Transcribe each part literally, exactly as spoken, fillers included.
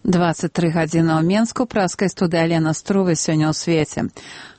двадцать три гадзіны ў Менску, праскай студыі Алена Струвы сёння ў свеце.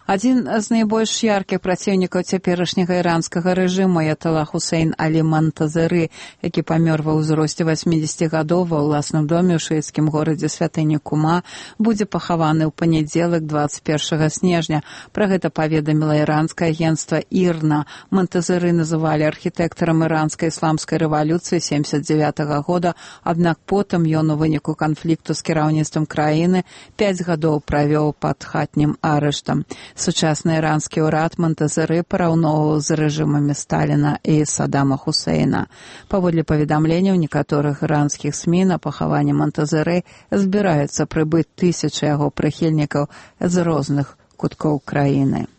Адзін з найбольш яркіх праціўнікаў цяперашняга іранскага рэжыму аяталла Хусейн Алі Монтазеры, які памёр ва ўзросце васьмідзесяці гадоў ва ўласным доме ў шыіцкім горадзе святыні Кума, будзе пахаваны ў панядзелак двадцать першага снежня. Пра гэта паведаміла іранскае агенцтва ІРНА. Монтазеры называлі архітэктарам іранскай ісламскай рэвалюцыі семьдесят девятага года, аднак потым ён у выніку канфлікту з кіраўніцтвам краіны пяць гадоў правёў пад хатнім арыштам. Сучасны іранскі ўрад Монтазеры параўноўваў з рэжымамі Сталіна і Саддама Хусейна. Паводле паведамленняў некаторых іранскіх СМІ, на пахаванне Монтазеры збіраюцца прыбыць тысячы яго прыхільнікаў з розных куткоў краіны.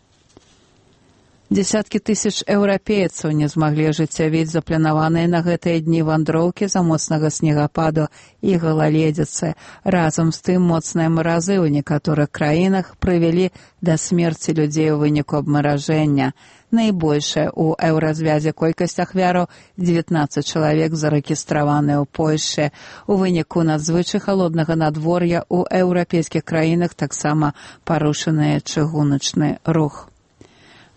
Дзесяткі тысяч еўрапейцаў не змаглі ажыццявіць запланаваныя на гэтыя дні вандроўкі з-за моцнага снегападу і галаледзіцы. Разам з тым, моцныя маразы ў некаторых краінах прывялі да смерці людзей у выніку абмаражэння. Найбольшая ў еўразвязе колькасць ахвяраў дзевятнаццаць чалавек зарэгістраваныя ў Польшчы. У выніку надзвычай халоднага надвор'я ў еўрапейскіх краінах таксама парушаны чыгуначны рух.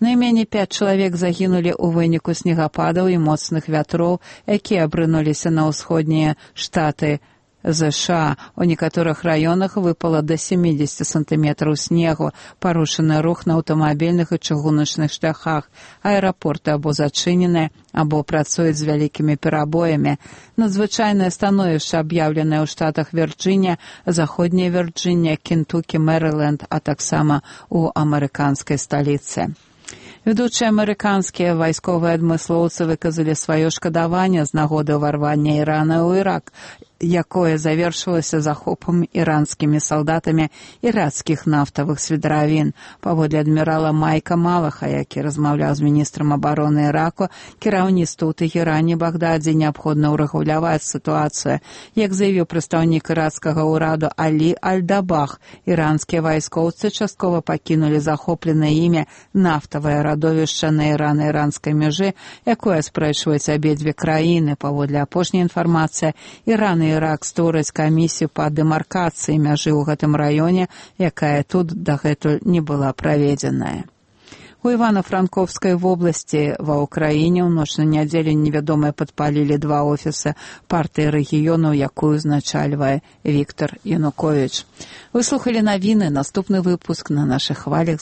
Найменей пяць чалавек загінулі ў выніку снегападаў і моцных вятроў, якія абрынуліся на ўсходнія штаты ЗША. У некаторых раёнах выпала да семидесяти сантыметраў снегу, парушаны рух на аўтамабільных і чыгуначных шляхах. Аэрапорты або зачыненыя, або працуюць з вялікімі перабоямі. Надзвычайнае становішча аб'яўленае ў штатах Вірджынія, заходняя Вірджынія, Кентукі, Мэрыленд, а таксама у амерыканскай сталіцы. Ведучыя амерыканскія вайсковыя адмыслоўцы выказалі сваё шкадаванне з нагоды ўварвання Ірана ў Ірак, якое завершылася захопам іранскімі салдатамі іракскіх нафтавых свідравін. Паводле адмірала Майка Малаха, які размаўляў з міністрам абароны Іраку, кіраўніцтву ў Тэхеране Багдадзе неабходна ўрэгуляваць сітуацыю. Як заявіў прадстаўнік іракскага ўраду Алі Аль-Дабах, іранскія вайскоўцы часткова пакінулі захопленае імі нафтавае радовішча на ірана-іранскай мяжы, якое спрэчваюць абедзве краіны. Паводле апошняй інфармацыі, Іран і Ірак створаць камісію па дэмаркацыі мяжы ў гэтым раёне, якая тут дагэтуль не была праведзеная. У Івано-Франковскай вобласці ва ўкраіне ў ноч на нядзелю невядомыя падпалілі два офісы партыі рэгіёну, якую узначальвае Віктор Януковіч. Вы слухалі навіны, наступны выпуск на нашых хвалях.